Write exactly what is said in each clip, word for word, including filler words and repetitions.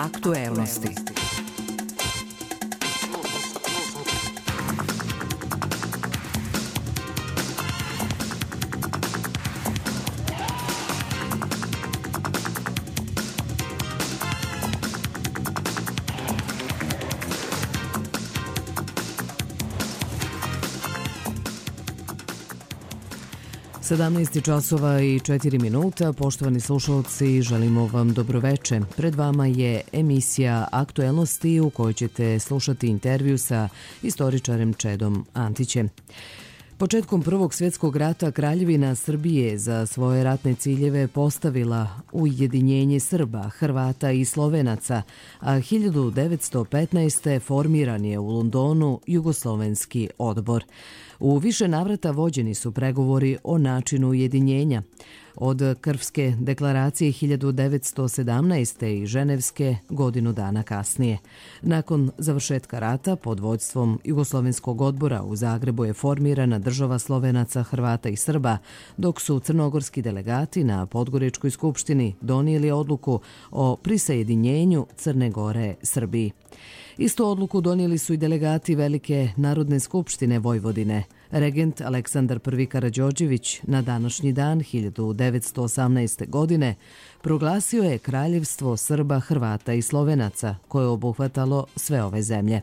Aktuelnosti. sedamnaest časova i četiri minuta. Poštovani slušalci, želimo vam dobroveče. Pred vama je emisija Aktuelnosti u kojoj ćete slušati intervju sa istoričarem Čedom Antićem. Početkom Prvog svjetskog rata Kraljevina Srbije za svoje ratne ciljeve postavila ujedinjenje Srba, Hrvata i Slovenaca, a hiljadu devetsto petnaeste. formiran je u Londonu Jugoslovenski odbor. U više navrata vođeni su pregovori o načinu ujedinjenja. Od Krfske deklaracije hiljadu devetsto sedamnaeste. i Ženevske godinu dana kasnije. Nakon završetka rata pod vođstvom Jugoslovenskog odbora u Zagrebu je formirana država Slovenaca, Hrvata i Srba, dok su crnogorski delegati na Podgoričkoj skupštini donijeli odluku o prisajedinjenju Crne Gore Srbiji. Istu odluku donijeli su i delegati Velike Narodne skupštine Vojvodine. Regent Aleksandar prvi. Karađorđević na današnji dan hiljadu devetsto osamnaeste. godine proglasio je Kraljevstvo Srba, Hrvata i Slovenaca, koje je obuhvatalo sve ove zemlje.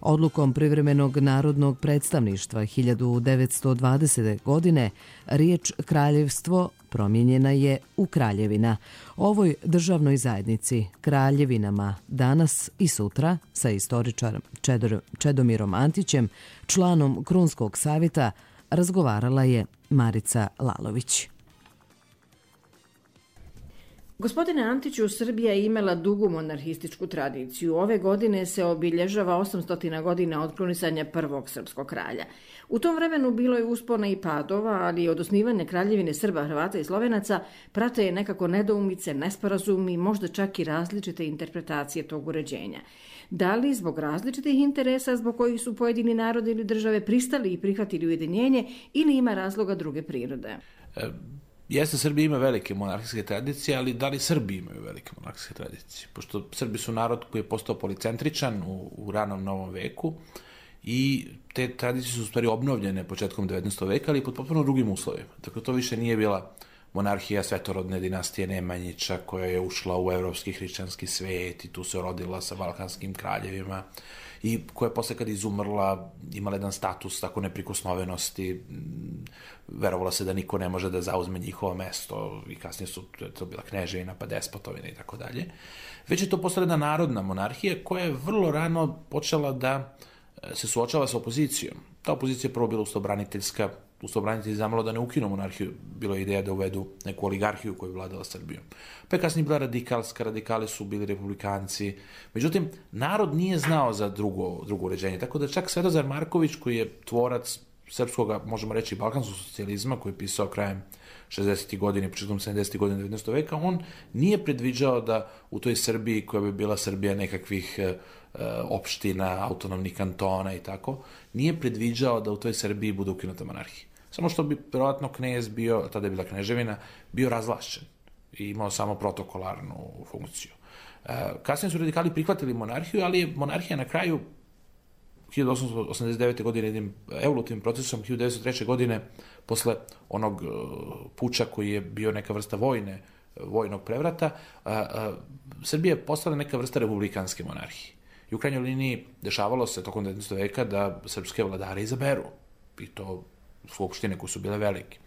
Odlukom Privremenog narodnog predstavništva hiljadu devetsto dvadesete. godine riječ kraljevstvo promijenjena je u kraljevina. Ovoj državnoj zajednici, kraljevinama, danas i sutra sa istoričarom Čedomirom Antićem, članom Krunskog savjeta, razgovarala je Marica Lalović. Gospodine Antiću, Srbija je imala dugu monarhističku tradiciju. Ove godine se obilježava osamsto godina od krunisanja prvog srpskog kralja. U tom vremenu bilo je uspona i padova, ali od osnivanja Kraljevine Srba, Hrvata i Slovenaca prate je nekako nedoumice, nesporazumi, možda čak i različite interpretacije tog uređenja. Da li zbog različitih interesa zbog kojih su pojedini narodi ili države pristali i prihvatili ujedinjenje ili ima razloga druge prirode? E... Jeste, Srbija ima velike monarhijske tradicije, ali da li Srbi imaju velike monarhijske tradicije? Pošto Srbi su narod koji je postao policentričan u, u ranom novom veku i te tradicije su u stvari obnovljene početkom devetnaestog veka, ali pod potpuno drugim uslovima. Dakle, to više nije bila monarhija svetorodne dinastije Nemanjića koja je ušla u evropski hrišćanski svet i tu se rodila sa balkanskim kraljevima i koja je posle kad izumrla imala jedan status tako neprikosnovenosti, verovala se da niko ne može da zauzme njihovo mesto i kasnije su to bila kneževina pa despotovina i tako dalje. Već je to postala jedna narodna monarhija koja je vrlo rano počela da se suočava sa opozicijom. Ta opozicija je prvo bila ustaobraniteljska, ustaobranitelji zamalo da ne ukinu monarhiju, bilo je ideja da uvedu neku oligarhiju koju je vladala Srbijom. Pa je kasnije bila radikalska, radikali su bili republikanci. Međutim, narod nije znao za drugo, drugo uređenje, tako da čak Svetozar Marković, koji je tvorac srpskog, možemo reći, balkanskog socijalizma, koji je pisao krajem šezdesetih godina i početkom sedamdesetih godina devetnaestog veka, on nije predviđao da u toj Srbiji, koja bi bila Srbija nekakvih e, opština, autonomnih kantona i tako, nije predviđao da u toj Srbiji bude ukinuta monarhija. Samo što bi vjerojatno knez bio, tada je bila kneževina, bio razvlašćen i imao samo protokolarnu funkciju. E, kasnije su radikali prihvatili monarhiju, ali je monarhija na kraju hiljadu osamsto osamdeset devete. godine jednim evolutivnim procesom, hiljadu devetsto treće. godine, posle onog puča koji je bio neka vrsta vojne, vojnog prevrata, a, a, Srbija je postala neka vrsta republikanske monarhije. I u krajnjoj liniji dešavalo se tokom devetnaestog veka da srpske vladare izaberu. I to skupštine koje su bile velike.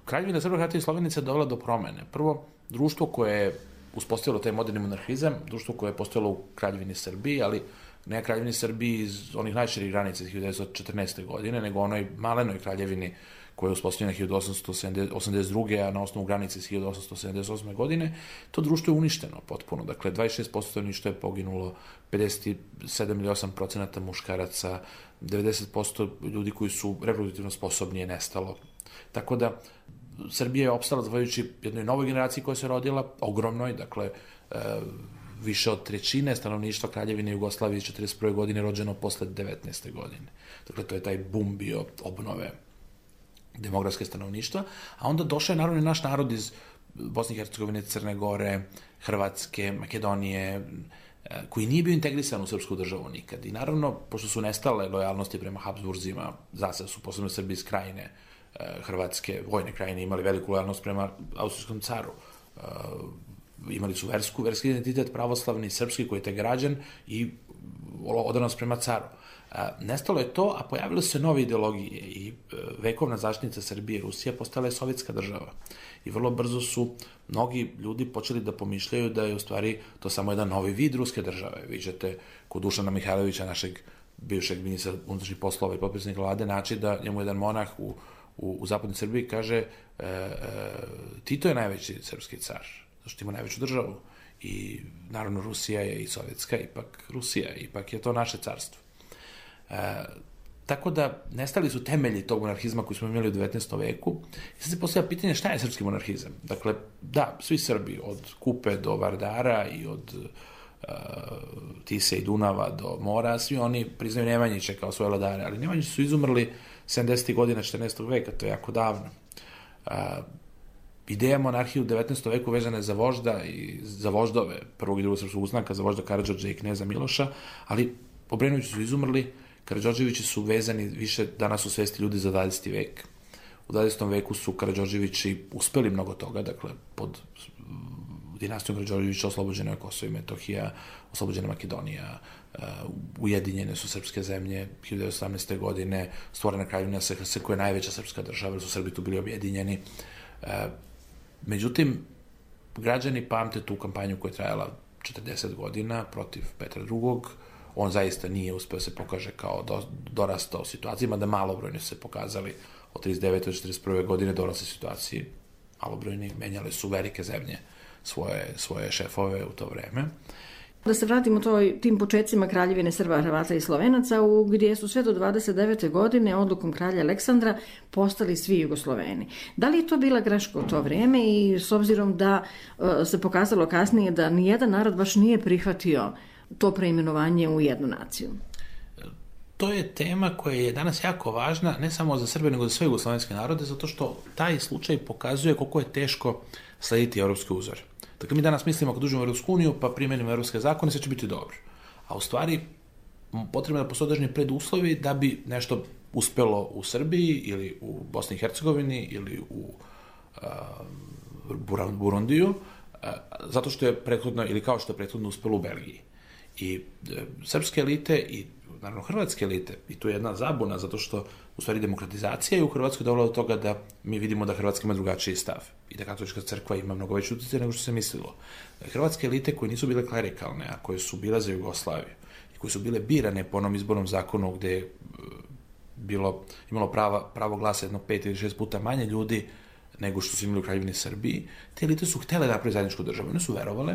Kraljevina Srba, Hrvata i Slovenaca je dovela do promene. Prvo, društvo koje je uspostavilo taj moderni monarhizam, društvo koje je postojalo u Kraljevini Srbiji, ali ne Kraljevini Srbiji iz onih najširih granica hiljadu devetsto četrnaeste. godine, nego onoj malenoj kraljevini koja je uspostavljena hiljadu osamsto osamdeset druge. a na osnovu granice iz hiljadu osamsto sedamdeset osme. godine, to društvo je uništeno potpuno. Dakle, dvadeset šest posto stanovništva je poginulo, pedeset sedam ili osam procenata muškaraca, devedeset posto ljudi koji su reproduktivno sposobni je nestalo. Tako da, Srbija je opstala zahvaljujući jednoj novoj generaciji koja se rodila, ogromnoj, dakle, e, više od trećine stanovništva Kraljevine Jugoslavije četrdeset prve. godine rođeno posle devetnaeste. godine. Dakle, to je taj bum bio obnove demografske stanovništva, a onda došao je naravno i naš narod iz Bosne i Hercegovine, Crne Gore, Hrvatske, Makedonije, koji nije bio integrisan u srpsku državu nikad. I naravno, pošto su nestale lojalnosti prema Habsburzima, zasad su posebno Srbi iz Krajine, Hrvatske, vojne Krajine, imali veliku lojalnost prema austrijskom caru. Imali su versku, verski identitet, pravoslavni, srpski, koji je te građan i odanost prema caru. Nestalo je to, a pojavile su se nove ideologije i vekovna zaštitnica Srbije i Rusija postala je sovjetska država. I vrlo brzo su mnogi ljudi počeli da pomišljaju da je u stvari to samo jedan novi vid ruske države. Viđate kod Dušana Mihajlovića, našeg bivšeg ministra unutrašnjih poslova i potpredsjednika vlade, naći da njemu jedan monah u, u, u zapadnoj Srbiji kaže e, e, Tito je najveći srpski car, zašto ima najveću državu. I naravno Rusija je i sovjetska, ipak Rusija, ipak je to naše carstvo. E, tako da nestali su temelji tog monarhizma koji smo imali u devetnaestom veku. I sad se postavlja pitanje šta je srpski monarhizam. Dakle, da, svi Srbi, od Kupe do Vardara i od uh, Tise i Dunava do mora, svi oni priznaju Nemanjića kao svoje vladare, ali Nemanjići su izumrli sedamdesetih godina četrnaestog veka, to je jako davno. Uh, Ideja monarhije u devetnaestom veku vezana je za vožda i za voždove prvog i drugog srpskog ustanka, za vožda Karađorđa i kneza Miloša, ali Obrenovići su izumrli, Karađorđevići su vezani više danas u svesti ljudi za dvadeseti vek. U dvadesetom veku su Karađorđevići uspeli mnogo toga, dakle, pod dinastijom Karađorđevića oslobođena je Kosovo i Metohija, oslobođena Makedonija, uh, ujedinjene su srpske zemlje, hiljadu devetsto osamnaeste. godine, stvorena Kraljevina S H S koja je najveća srpska država, jer su Srbi tu bili objedinjeni. Uh, međutim, građani pamte tu kampanju koja je trajala četrdeset godina protiv Petra drugog. On zaista nije uspeo se pokaže kao do, dorastao situacijama, da malobrojni su se pokazali od trideset devete do četrdeset prve. godine dorasle situaciji. Malobrojni menjali su velike zemlje svoje, svoje šefove u to vreme. Da se vratimo toj, tim početcima Kraljevine Srba, Hrvata i Slovenaca, u gdje su sve do dvadeset devete. godine odlukom kralja Aleksandra postali svi Jugosloveni. Da li je to bila greška u to vrijeme i s obzirom da uh, se pokazalo kasnije da nijedan narod baš nije prihvatio to preimenovanje u jednu naciju? To je tema koja je danas jako važna, ne samo za Srbe, nego za sve jugoslovenske narode, zato što taj slučaj pokazuje koliko je teško slediti evropske uzore. Dakle, mi danas mislimo kad uđemo u Evropsku uniju, pa primenimo evropske zakone, sve će biti dobro. A u stvari, potrebno je da postoje određeni preduslovi da bi nešto uspelo u Srbiji ili u Bosni i Hercegovini ili u uh, Burundiju, uh, zato što je prethodno, ili kao što je prethodno uspelo u Belgiji. I e, srpske elite i naravno hrvatske elite, i tu je jedna zabuna, zato što u stvari demokratizacija je u Hrvatskoj dovela do toga da mi vidimo da Hrvatska ima drugačiji stav i da katolička crkva ima mnogo veći utjecaj nego što se mislilo. Hrvatske elite koje nisu bile klerikalne, a koje su bile za Jugoslaviju i koje su bile birane po onom izbornom zakonu gde je bilo, imalo prava, pravo glasa jedno pet ili šest puta manje ljudi nego što su imali u Kraljevini Srbiji, te elite su htele da napravi zajedničku državu. One su verovale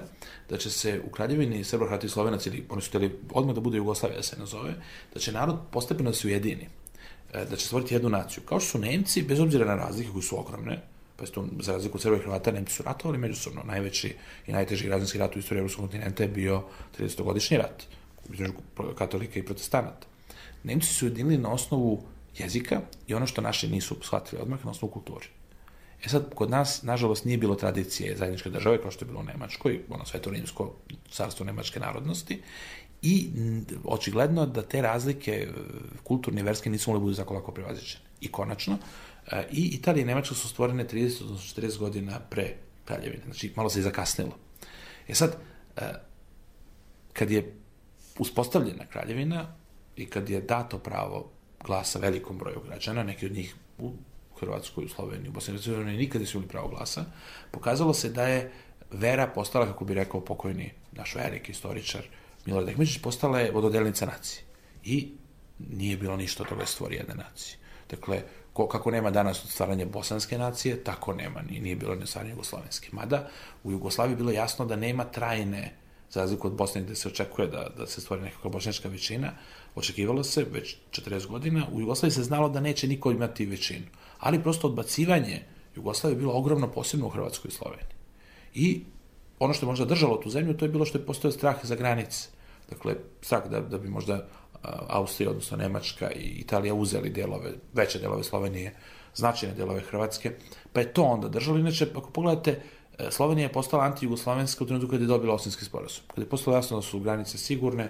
da će se u Kraljevini Srba, Hrvata i Slovenaca, ili oni su hteli odmah da bude Jugoslavija, da se nazove, da će narod postepeno da se ujedini, da će stvoriti jednu naciju. Kao što su Nemci, bez obzira na razlike koje su ogromne, pa to za razliku od Srba i Hrvata, Nemci su ratovali međusobno. Najveći i najteži građanski rat u istoriji evropskog kontinenta je bio tridesetogodišnji rat između katolika i protestanata. Nemci su ujedinili na osnovu jezika i ono što naši nisu shvatili odmah, na osnovu kulture. E sad, kod nas, nažalost, nije bilo tradicije zajedničke države, kao što je bilo u Nemačkoj, ono Sveto rimsko carstvo nemačke narodnosti, i očigledno da te razlike kulturne i verske nisu mogli budu tako lako prevaziđene. I konačno, i Italija i Nemačka su stvorene trideset do četrdeset godina pre Kraljevine, znači malo se i zakasnilo. E sad, kad je uspostavljena Kraljevina i kad je dato pravo glasa velikom broju građana, neki od njih u Hrvatskoj, u Sloveniji, u Bosni i Hercegovini nikad nisu imali pravo glasa, pokazalo se da je vera postala, kako bi rekao pokojni naš veliki istoričar Milorad Ekmeđić, postala je vododelnica nacije. I nije bilo ništa od toga stvori jedne nacije. Dakle, ko, kako nema danas od stvaranja bosanske nacije, tako nema, ni, nije bilo ne stvaranje jugoslovenske. Mada u Jugoslaviji bilo jasno da nema trajne, za razliku od Bosne gde se očekuje da, da se stvori nekakva bošnjačka većina, očekivalo se već četrdeset godina, u Jugoslaviji se znalo da neće niko imati većinu. Ali prosto odbacivanje Jugoslavije je bilo ogromno, posebno u Hrvatskoj i Sloveniji. I ono što je možda držalo tu zemlju, to je bilo što je postojao strah za granice. Dakle, strah da, da bi možda Austrija, odnosno Nemačka i Italija uzeli delove, veće delove Slovenije, značajne delove Hrvatske, pa je to onda držalo. Inače, ako pogledate, Slovenija je postala anti-jugoslovenska u trenutku kada je dobila Osinski sporazum. Kada je postalo jasno da su granice sigurne,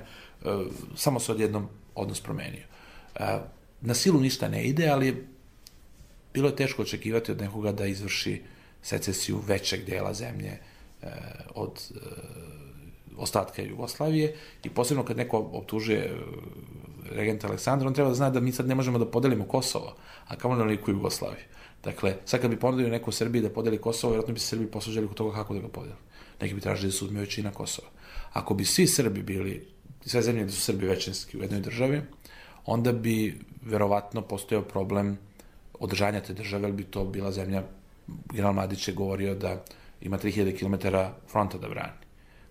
samo se odjednom odnos promenio. Na silu ništa ne ide, ali bilo je teško očekivati od nekoga da izvrši secesiju većeg dela zemlje od ostatka Jugoslavije i posebno kad neko optužuje regenta Aleksandra, on treba da zna da mi sad ne možemo da podelimo Kosovo, a kamo na liku Jugoslaviju. Dakle, sad kad bi ponudio neko u Srbiji da podeli Kosovo, vjerojatno bi se Srbiji poslužili kod toga kako da ga podeli. Neki bi tražili da se uzme većina Kosova. Ako bi svi Srbi bili, sve zemlje gde su Srbi većinski u jednoj državi, onda bi verovatno postojao problem održanja te države, ali bi to bila zemlja, general Mladić je govorio da ima tri hiljade kilometara fronta da brani.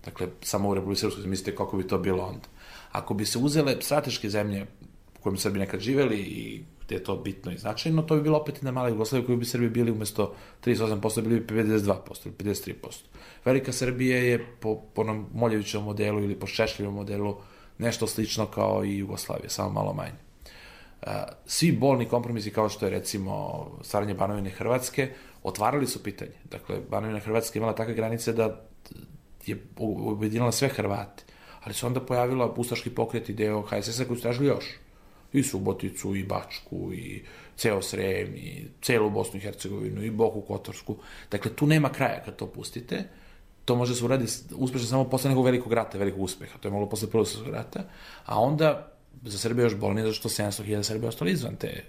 Dakle, samo u Republike Srpskoj, mislite kako bi to bilo onda. Ako bi se uzele strateške zemlje u kojima Srbi nekad živeli i gde je to bitno i značajno, to bi bilo opet i na mala Jugoslavija koju bi Srbi bili umesto trideset osam posto bili bi pedeset dva posto ili pedeset tri posto. Velika Srbija je po, po onom Moljevićevom modelu ili po Šešljevom modelu nešto slično kao i Jugoslavija, samo malo manje. Svi bolni kompromisi kao što je recimo stvaranje Banovine Hrvatske otvarali su pitanje. Dakle, Banovina Hrvatska imala takve granice da je objedinila sve Hrvate, ali se onda pojavila ustaški pokret i deo H S S-a koji su tražili još. I Suboticu, i Bačku, i ceo Srem, i celu Bosnu i Hercegovinu, i Boku Kotorsku. Dakle, tu nema kraja kad to pustite. To može se uraditi uspešno samo posle nekog velikog rata, velikog uspeha. To je moglo posle prvog svjetskog rata. A onda za Srbiju još bolnije, zato što sedamsto hiljada Srbija ostali izvan te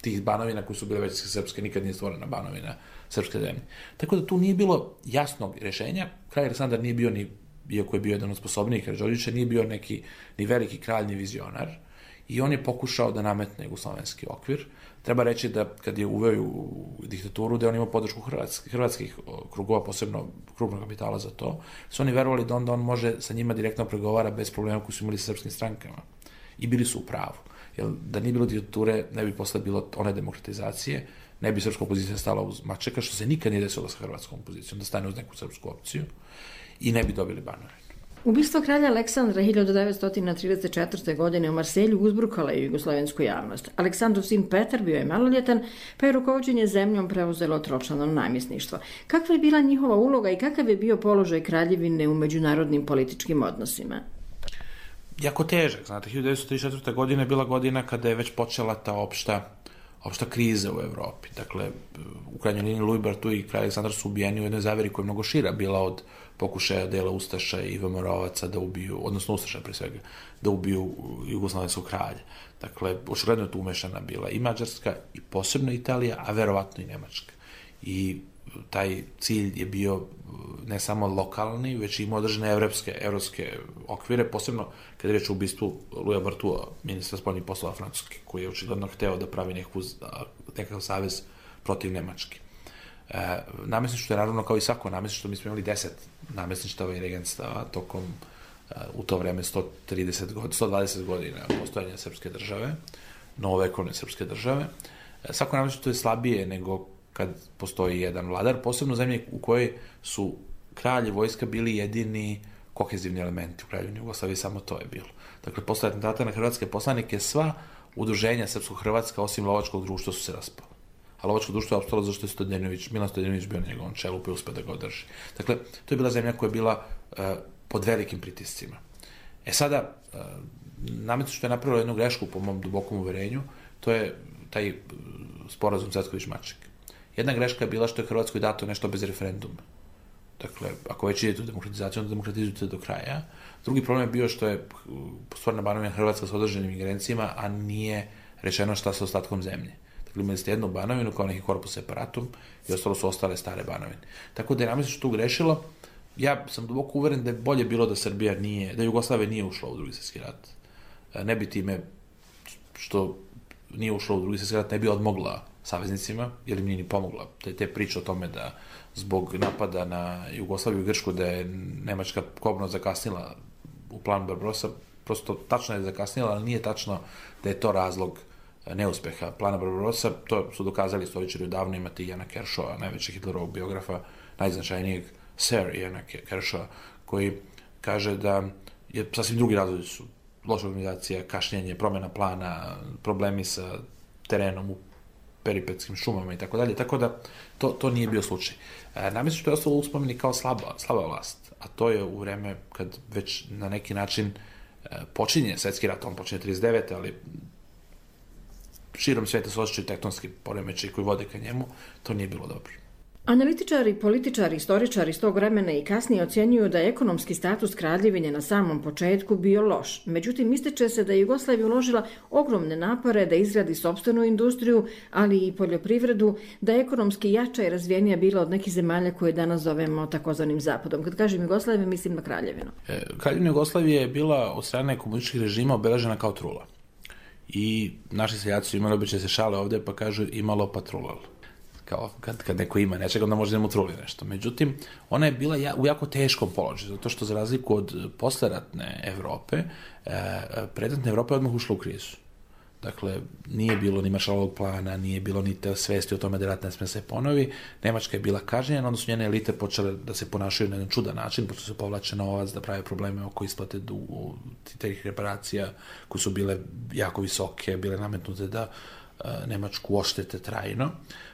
tih banovina koji su bile većinske srpske, nikad nije stvorena banovina srpske zemlje. Tako da tu nije bilo jasnog rešenja. Kralj Aleksandar nije bio ni, iako je bio jedan od sposobnijih Karađorđevića, nije bio neki ni veliki kralj, ni vizionar. I on je pokušao da nametne jugoslovenski okvir. Treba reći da kad je uveo u diktaturu, da je on imao podršku hrvatskih, hrvatskih krugova, posebno krupnog kapitala za to, su oni verovali da onda on može sa njima direktno pregovara bez problema koji su imali sa srpskim strankama. I bili su u pravu. Jer da nije bilo diktature, ne bi posle bilo one demokratizacije, ne bi srpska opozicija stala uz Mačeka, što se nikad nije desilo sa hrvatskom opozicijom, da stane uz neku srpsku opciju i ne bi dobili Banovinu. Ubistvo kralja Aleksandra hiljadu devetsto trideset četvrte. godine u Marselju uzburkala je jugoslovensku javnost. Aleksandrov sin Petar bio je maloljetan, pa je rukovođenje zemljom preuzelo tročlano namjesništvo. Kakva je bila njihova uloga i kakav je bio položaj kraljevine u međunarodnim političkim odnosima? Jako težak, znate, hiljadu devetsto trideset četvrte. godine je bila godina kada je već počela ta opšta, opšta kriza u Evropi. Dakle, u krajnjoj liniji Louis Barthou i kralj Aleksandar su ubijeni u jednoj zaveri koja je mnogo šira bila od pokušaja dela Ustaša i V M R-ovaca da ubiju, odnosno Ustaša pre svega, da ubiju jugoslovenskog kralja. Dakle, očigledno je tu umešana bila i Mađarska i posebno Italija, a verovatno i Nemačka. I taj cilj je bio ne samo lokalni, već i ima održene evropske, evropske okvire, posebno kada je reč o ubistvu Louisa Barthoua, ministra spoljnih poslova Francuske, koji je očigledno hteo da pravi neku, nekakav savez protiv Nemačke. E, namestništvo je naravno kao i svako namestništvo, mi smo imali deset namestništava i regentstava tokom e, u to vreme sto trideset godina, sto dvadeset godina postojanja srpske države, novovekovne srpske države. E, svako namestništvo je slabije nego kad postoji jedan vladar, posebno zemlje u kojoj su kralj i vojska bili jedini kohezivni elementi u Kraljevini Jugoslavije, samo to je bilo. Dakle, posle atentata na hrvatske poslanike, sva udruženja srpsko-hrvatska, osim lovačkog društva, su se raspala. A lovačko društvo je opstalo zašto je Stodjenović, Milan Stodjenović bio na njegovom čelu, pa je uspeo da ga održi. Dakle, to je bila zemlja koja je bila uh, pod velikim pritiscima. E sada, uh, namestništvo što je napravilo jednu grešku, po mom dubokom uverenju, to je taj uh, sporazum Cvetković-Maček. Jedna greška je bila što je Hrvatskoj dato nešto bez referenduma. Dakle, ako već idete u demokratizaciju, onda demokratizujete do kraja. Drugi problem je bio što je stvorena Banovina Hrvatska s određenim ingerencijama, a nije rečeno šta sa ostatkom zemlje. Dakle, imali ste jednu Banovinu kao neki korpus separatum i ostalo su ostale stare Banovine. Tako da je namestništvo tu grešilo. Ja sam duboko uveren da je bolje bilo da Srbija nije, da Jugoslavija nije ušla u Drugi svjetski rat. Ne bi time što nije ušla u Drugi svjetski rat, ne bi odmogla saveznicima, jer im nije ni pomogla. Te, te priče o tome da zbog napada na Jugoslaviju i Grčku da je Nemačka kobno zakasnila u plan Barbarossa, prosto tačno je zakasnila, ali nije tačno da je to razlog neuspeha plana Barbarossa. To su dokazali istoričari odavno, imate Jana Kershawa, najvećeg Hitlerovog biografa, najznačajnijeg Sir Jana Kershawa, koji kaže da je sasvim drugi razlozi su loša organizacija, kašnjenje, promjena plana, problemi sa terenom u peripetskim šumama i tako dalje, tako da to, to nije bio slučaj. E, namjesto što je ostalo uspomeni kao slaba, slaba vlast, a to je u vreme kad već na neki način e, počinje svetski rat, on počinje trideset devete ali širom sveta se osjećaju tektonski poremećaji koji vode ka njemu, to nije bilo dobro. Analitičari, političari, istoričari iz tog vremena i kasnije ocjenjuju da je ekonomski status kraljevine na samom početku bio loš. Međutim, ističe se da je Jugoslavija uložila ogromne napore da izgradi sopstvenu industriju, ali i poljoprivredu, da je ekonomski jača i razvijenija bila od nekih zemalja koje danas zovemo takozvanim zapadom. Kad kažem Jugoslavija, mislim na kraljevinu. E, kraljevina Jugoslavije je bila od strane komunističkih režima obeležena kao trula. I naši seljaci su imali običaj se šale ovde pa kažu imalo patrulal. Kao kad, kad neko ima nečega, onda može da mu truli nešto. Međutim, ona je bila ja, u jako teškom položaju, zato što za razliku od posleratne Evrope, e, predratna Evropa je odmah ušla u krizu. Dakle, nije bilo ni Maršalovog plana, nije bilo ni te svesti o tome da rat ne sme se ponovi. Nemačka je bila kažnjena, onda su njene elite počele da se ponašaju na jedan čudan način, pošto se povlače novac, da prave probleme oko isplate dugu, tih reparacija koje su bile jako visoke, bile nametnute da e, Nemačku oštete trajno.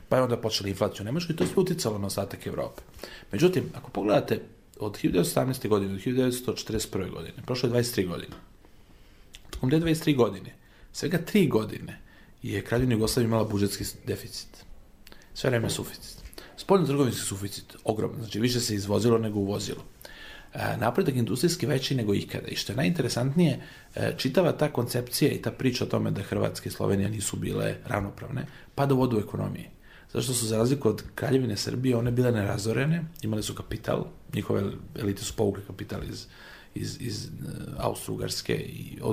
Pa je onda počela inflacija u Nemačkoj i to je sve uticalo na ostatak Evrope. Međutim, ako pogledate od hiljadu devetsto sedamnaeste. godine do hiljadu devetsto četrdeset prve. godine, prošlo je dvadeset tri godine. Tokom te dvadeset tri godine, svega tri godine je Kraljevina Jugoslavija imala budžetski deficit. Sve vreme suficit. Spoljno-trgovinski suficit, ogroman, znači više se izvozilo nego uvozilo. E, napredak industrijski veći nego ikada. I što je najinteresantnije, e, čitava ta koncepcija i ta priča o tome da Hrvatska i Slovenija nisu bile ravnopravne, pada u vodu u ekonomiji. Zato što su za razliku od Kraljevine Srbije, one bile nerazorene, imali su kapital, njihove elite su povukli kapital iz, iz, iz Austro-Ugarske,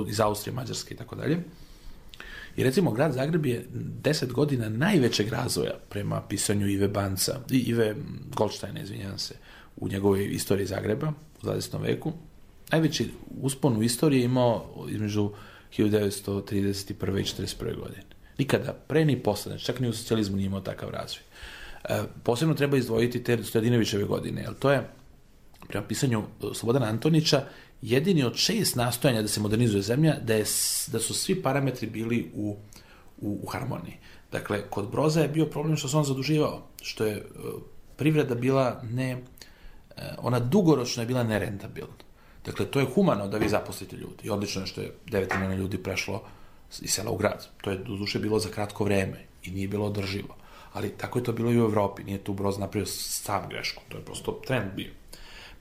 iz Austrije, Mađarske i tako dalje. I recimo, grad Zagreb je deset godina najvećeg razvoja prema pisanju Ive Banca, Ive Goldsteina, izvinjavam se, u njegovoj istoriji Zagreba u dvadesetom veku. Najveći uspon u istoriji imao između hiljadu devetsto trideset prve. i četrdeset prve. godine. Nikada, pre ni posle, znači čak ni u socijalizmu nije imao takav razvoj. E, posebno treba izdvojiti te Stojadinovićeve godine, jer to je, prema pisanju Slobodana Antonića, jedini od šest nastojanja da se modernizuje zemlja, da, je, da su svi parametri bili u, u, u harmoniji. Dakle, kod Broza je bio problem što se on zaduživao, što je uh, privreda bila ne, uh, ona dugoročno je bila nerentabilna. Dakle, to je humano da vi zaposlite ljudi. I odlično je što je devet miliona ljudi prešlo iz sela u grad. To je doduše bilo za kratko vreme i nije bilo održivo. Ali tako je to bilo i u Evropi. Nije tu Broz napravio sam grešku. To je prosto trend bio.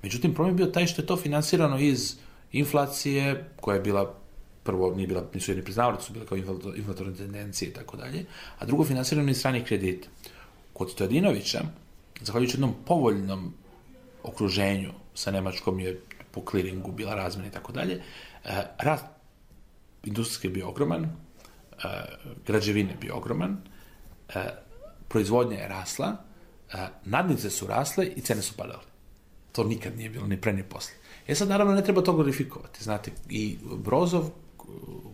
Međutim, problem je bio taj što je to finansirano iz inflacije, koja je bila, prvo nije bila, nisu jedni priznavali, su bile kao inflatorne tendencije i tako dalje, a drugo finansirano iz stranih kredita. Kod Stojadinovića, zahvaljujući jednom povoljnom okruženju sa Nemačkom je po kliringu bila razmena i tako dalje, rast industrijski je bio ogroman, građevine je bio ogroman, proizvodnja je rasla, nadnice su rasle i cene su padale. To nikad nije bilo, ni pre, ni posle. E sad, naravno, ne treba to glorifikovati. Znate, i Brozov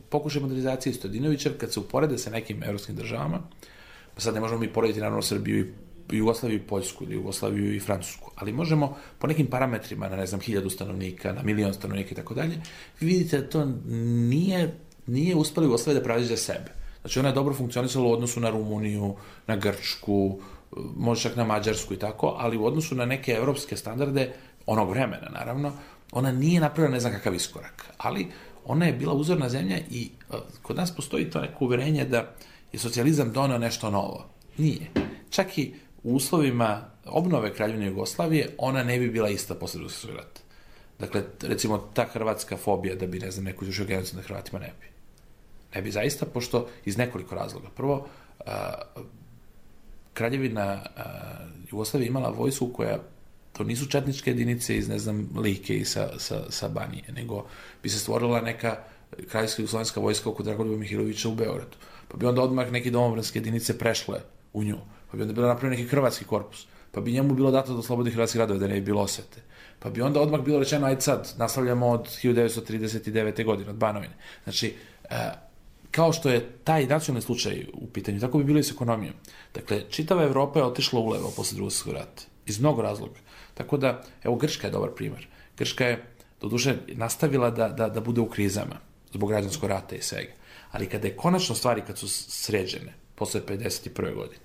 pokušaj modernizacije Stojadinovića, kad se uporede sa nekim evropskim državama, pa sad ne možemo mi porediti, naravno, Srbiju i Jugoslaviju i Poljsku, ili Jugoslaviju i Francusku, ali možemo po nekim parametrima, na, ne znam, hiljadu stanovnika, na milion stanovnika i tako dalje, vi vidite da to nije, nije uspela Jugoslavija da pravi za sebe. Znači, ona je dobro funkcionisala u odnosu na Rumuniju, na Grčku, može čak na Mađarsku i tako, ali u odnosu na neke evropske standarde, onog vremena, naravno, ona nije napravila ne znam kakav iskorak, ali ona je bila uzorna zemlja i uh, kod nas postoji to neko uverenje da je socijalizam doneo nešto novo. Nije. Čak i u uslovima obnove Kraljevine Jugoslavije, ona ne bi bila ista posle Drugog svjetskog rata. Dakle, recimo, ta hrvatska fobija da bi, ne znam, neko izvršio genocid nad Hrvatima, ne bi. Ne bi zaista, pošto iz nekoliko razloga. Prvo, uh, Kraljevina uh, Jugoslavija imala vojsku koja, to nisu četničke jedinice iz, ne znam, Like i sa, sa, sa Banije, nego bi se stvorila neka kraljevska jugoslovenska vojska oko Dragoljuba Mihilovića u Beogradu. Pa bi onda odmah neke domobranske jedinice prešle u nju. Pa bi onda bilo napravljen neki hrvatski korpus. Pa bi njemu bilo dato da oslobodi hrvatski radove, da ne bi bilo osvete. Pa bi onda odmah bilo rečeno, ajde sad, nastavljamo od hiljadu devetsto trideset devete. godine, od Banovine. Znači, uh, kao što je taj nacionalni slučaj u pitanju, tako bi bilo i s ekonomijom. Dakle, čitava Evropa je otišla ulevo posle Drugog svjetskog rata. Iz mnogo razloga. Tako da, evo, Grčka je dobar primer. Grčka je, doduše, nastavila da, da, da bude u krizama zbog građanskog rata i svega. Ali kada je konačno stvari, kad su sređene, posle pedeset prve godine.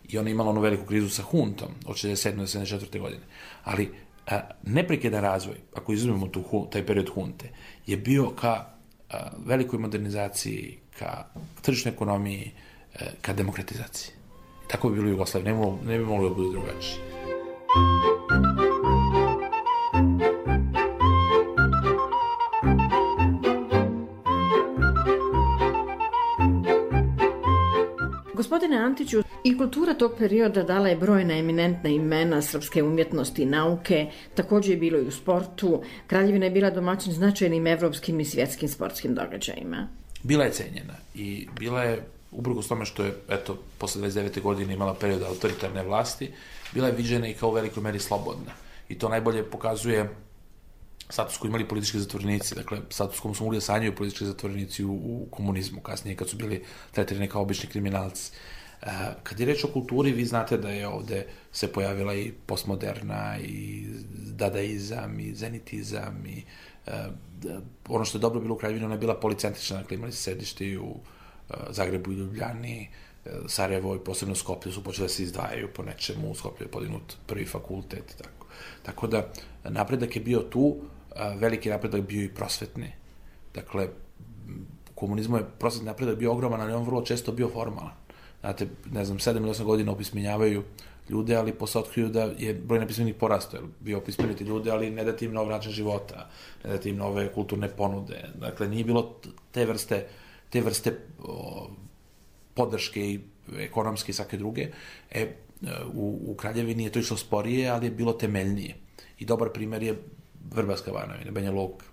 I ona je imala onu veliku krizu sa huntom od šezdeset sedme do sedamdeset četvrte godine. Ali a, neprekidan razvoj, ako izuzmemo tu, taj period hunte, je bio ka a, velikoj modernizaciji, ka tržišnoj ekonomiji, a, ka demokratizaciji. Tako bi bilo u Jugoslaviji, ne, ne bi moglo da bude drugačije. Gospodine Antiću, i kultura tog perioda dala je brojna eminentna imena srpske umjetnosti i nauke, također je bilo i u sportu. Kraljevina je bila domaćin značajnim evropskim i svjetskim sportskim događajima. Bila je cenjena i bila je, uprkos tome što je, eto, posle dvadeset devete godine imala period autoritarne vlasti, bila je viđena i kao u velikoj meri slobodna. I to najbolje pokazuje status koji imali politički zatvorenici, dakle, status kom su mogli da sanjaju politički zatvorenici u, u komunizmu, kasnije kad su bili tretirani kao obični kriminalci. E, kad je reč o kulturi, vi znate da je ovde se pojavila i postmoderna, i dadaizam, i zenitizam, i e, ono što je dobro bilo u Kraljevini, ona je bila policentrična, dakle, imali se sedište i u e, Zagrebu i Ljubljani, e, Sarajevo i posebno Skoplje su počeli da se izdvajaju po nečemu, u Skoplju je podignut prvi fakultet, tako. Tako da, napredak je bio tu, veliki napredak bio i prosvetni. Dakle, u komunizmu je prosvetni napredak bio ogroman, ali on vrlo često bio formalan. Znate, ne znam, sedam ili osam godina opismenjavaju ljude, ali posle otkriju da je broj nepismenih porastao, jer bio opismeniti ljude, ali ne dati im nov način života, ne dati im nove kulturne ponude. Dakle, nije bilo te vrste, te vrste o, podrške i ekonomske i svake druge. E, u, u Kraljevini je to išlo sporije, ali je bilo temeljnije. I dobar primer je Vrbaska Banovina, Banja Luka,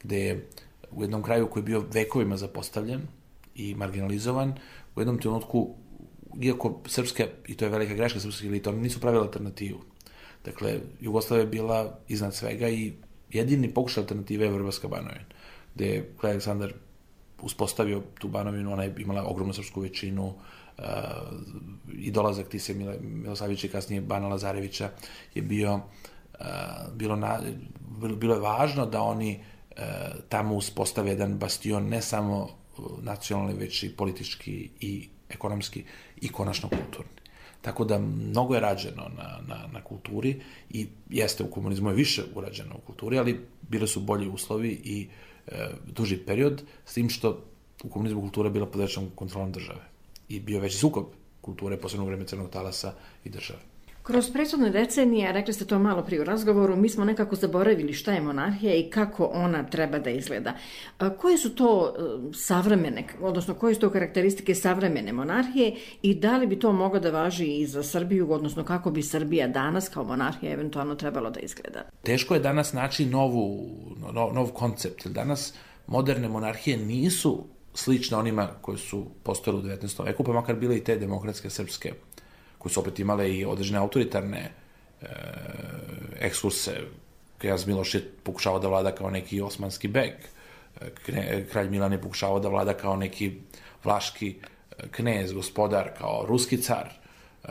gde je u jednom kraju koji je bio vekovima zapostavljen i marginalizovan, u jednom trenutku, iako srpska, i to je velika greška srpskih elita, oni nisu pravili alternativu. Dakle, Jugoslavija je bila iznad svega i jedini pokušaj alternative je Vrbaska Banovina, gde je kralj Aleksandar uspostavio tu Banovinu, ona je imala ogromnu srpsku većinu, uh, i dolazak Tise Milosavljevića i kasnije Bana Lazarevića je bio, uh, bilo, na, bilo, bilo je važno da oni uh, tamo uspostave jedan bastion, ne samo nacionalni, već i politički i ekonomski i konačno kulturni. Tako da mnogo je rađeno na, na, na kulturi i jeste, u komunizmu je više urađeno u kulturi, ali bile su bolji uslovi i e, duži period, s tim što u komunizmu kultura je bila pod većom kontrolom države i bio veći sukob kulture, posebno u vreme Crnog talasa i države. Kroz prethodne decenije, rekli ste to malo prije u razgovoru, mi smo nekako zaboravili šta je monarhija i kako ona treba da izgleda. Koje su to savremene, odnosno koje su to karakteristike savremene monarhije i da li bi to moglo da važi i za Srbiju, odnosno kako bi Srbija danas kao monarhija eventualno trebalo da izgleda? Teško je danas naći novu, nov, nov koncept, jer danas moderne monarhije nisu slične onima koje su postojale u devetnaestom veku, pa makar bile i te demokratske srpske, koje su opet imale i određene autoritarne e, ekskurse. Knjaz Miloš je pokušavao da vlada kao neki osmanski beg. Kne, kralj Milan je pokušavao da vlada kao neki vlaški knez, gospodar, kao ruski car. E,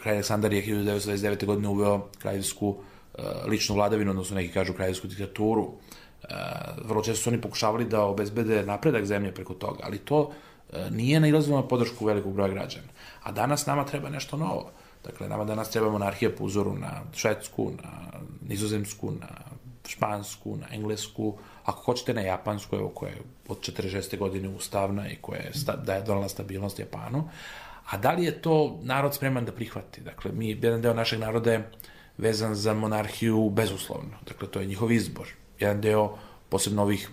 kralj Aleksandar je hiljadu devetsto dvadeset devete. godine uveo kraljevsku e, ličnu vladavinu, odnosno neki kažu kraljevsku diktaturu. E, vrlo često su oni pokušavali da obezbede napredak zemlje preko toga, ali to nije nailazilo na podršku velikog broja građana. A danas nama treba nešto novo. Dakle, nama danas treba monarhija po uzoru na švedsku, na nizozemsku, na špansku, na englesku, ako hoćete na japansku, evo, koja je od četrdeset šeste. godine ustavna i koja je, da je donala stabilnost Japanu. A da li je to narod spreman da prihvati? Dakle, mi, jedan deo našeg naroda je vezan za monarhiju bezuslovno. Dakle, to je njihov izbor. Jedan deo, posebno ovih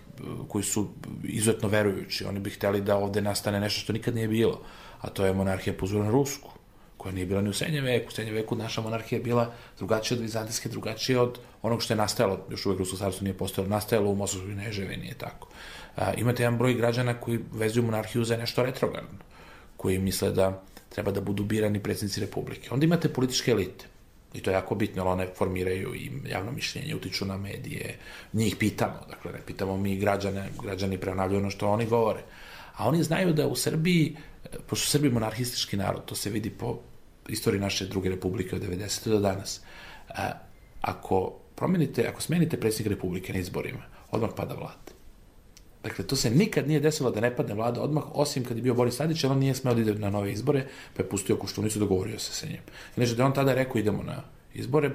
koji su izuzetno verujući, oni bi hteli da ovde nastane nešto što nikad nije bilo, a to je monarhija po uzoru na rusku, koja nije bila ni u srednjem veku. U srednjem veku naša monarhija je bila drugačija od vizantijske, drugačija od onog što je nastajalo, još uvek Rusko carstvo nije postojalo, nastajalo u Mosovskoj Kneževini, je tako. A, imate jedan broj građana koji vezuju monarhiju za nešto retrogradno, koji misle da treba da budu birani predsjednici republike. Onda imate političke elite. I to je jako bitno, one formiraju i javno mišljenje, utiču na medije, njih pitamo, dakle, ne pitamo mi građane, građani prenavljaju ono što oni govore. A oni znaju da u Srbiji, pošto su Srbi monarhistički narod, to se vidi po istoriji naše druge republike od devedesete. do danas, ako promenite, ako smenite predsjednika republike na izborima, odmah pada vlada. Dakle, to se nikad nije desilo da ne padne vlada odmah, osim kad je bio Boris Tadić, ali on nije smeo da ide na nove izbore, pa je pustio Koštunicu, dogovorio se sa njim. Znači, da on tada rekao idemo na izbore,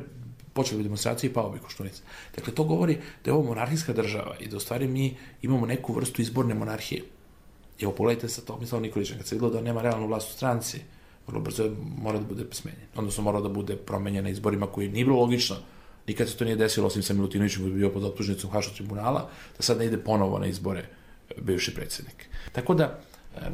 počeli bi demonstracije i pao bi Koštunica. Dakle, to govori da je ovo monarhijska država i da u stvari mi imamo neku vrstu izborne monarhije. Evo, pogledajte sa Tomislavom Nikolićem, kad se videlo da nema realnu vlast u stranci, vrlo brzo mora da bude smenjen. Odnosno, mora da bude promenjen na izborima koji nije bilo logično. Nikad se to nije desilo, osim sa Milutinovićem koji je bio pod optužnicom Haškog tribunala, da sad ne ide ponovo na izbore bivši predsjednik. Tako da,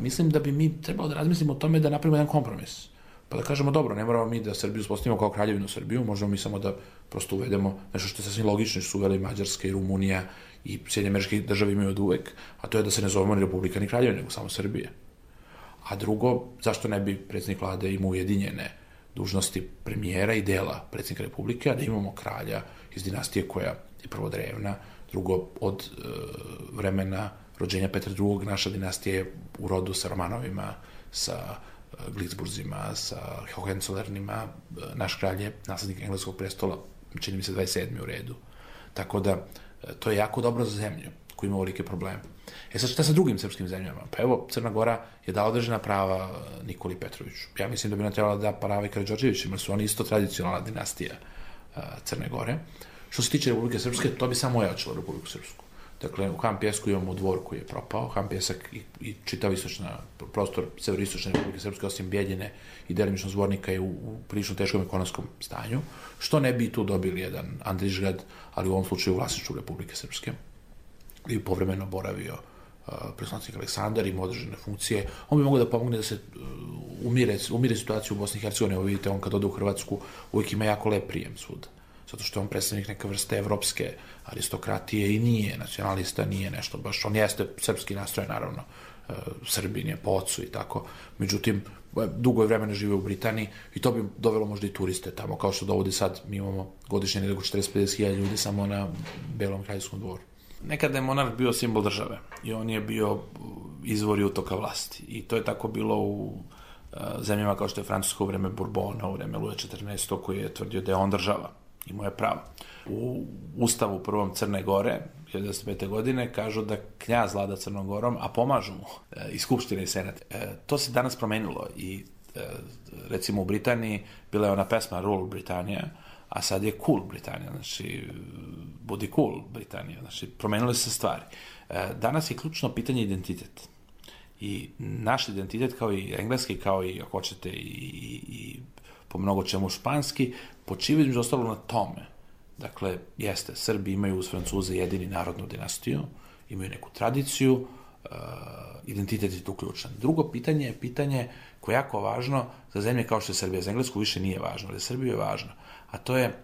mislim da bi mi trebalo da razmislimo o tome da napravimo jedan kompromis. Pa da kažemo, dobro, ne moramo mi da Srbiju uspostavimo kao kraljevinu Srbiju, možemo mi samo da prosto uvedemo nešto što je sasvim logično, što su uveli Mađarska i Rumunija i Sjedinjene Američke Države imaju od uvek, a to je da se ne zovemo ni Republika ni kraljevina, nego samo Srbije. A drugo, zašto ne bi predsjednik vlade imao ujedinjene dužnosti premijera i dela predsjednika Republike, a da imamo kralja iz dinastije koja je prvo drevna, drugo od e, vremena rođenja Petra drugog. Naša dinastija je u rodu sa Romanovima, sa e, Glizburzima, sa Hohenzolernima. E, naš kralj je naslednik engleskog prestola, čini mi se dvadeset sedmi u redu. Tako da, e, to je jako dobro za zemlju koji ima ovolike probleme. E sad, šta sa drugim srpskim zemljama? Pa evo, Crna Gora je dala određena prava Nikoli Petroviću. Ja mislim da bi nam trebala da prava i Karađorđevićima, jer su oni isto tradicionalna dinastija uh, Crne Gore. Što se tiče Republike Srpske, to bi samo ojačalo Republiku Srpsku. Dakle, u Han Pjesku imamo dvor koji je propao, Han Pjesak i, i čitav istočna, prostor severistočne Republike Srpske, osim Bijeljine i delimično Zvornika je u, u prilično teškom ekonomskom stanju. Što ne bi tu dobili jedan Andrićgrad, ali u ovom slučaju vlasništvu Republike Srpske, i povremeno boravio uh, predsjednik Aleksandar, ima određene funkcije. On bi mogao da pomogne da se uh, umire, umire situaciju u Bosni i Hercegovini. Evo vidite, on kad ode u Hrvatsku uvijek ima jako lep prijem svuda. Zato što je on predstavnik neke vrste evropske aristokratije i nije nacionalista, nije nešto baš. On jeste srpski nastroj, naravno, uh, Srbin je po ocu i tako. Međutim, dugo je vremena živio u Britaniji i to bi dovelo možda i turiste tamo, kao što dovodi sad, mi imamo godišnje nekako četrdeset do pedeset hiljada ljudi samo na Belom kraljevskom dvoru. Nekada je monarh bio simbol države i on je bio izvor i utoka vlasti. I to je tako bilo u uh, zemljama kao što je Francuska u vreme Bourbona, u vreme Luja četrnaestog koji je tvrdio da je on država. Imao je pravo. U Ustavu prvom Crne Gore, hiljadu devetsto pete. godine, kažu da knjaz vlada Crnom Gorom, a pomažu mu uh, i Skupština i Senat. Uh, to se danas promenilo i uh, recimo u Britaniji bila je ona pesma Rule Britannia, a sad je cool Britanija, znači budi cool Britanija, znači promenile se stvari. Danas je ključno pitanje identitet. I naš identitet, kao i engleski, kao i, ako hoćete, i, i, i po mnogo čemu španski, počiva između ostalog na tome. Dakle, jeste, Srbi imaju uz Francuze jedini narodnu dinastiju, imaju neku tradiciju, uh, identitet je tu ključan. Drugo pitanje je pitanje koje je jako važno za zemlje kao što je Srbija. Za Englesku više nije važno, ali za Srbiju je važno. A to je e,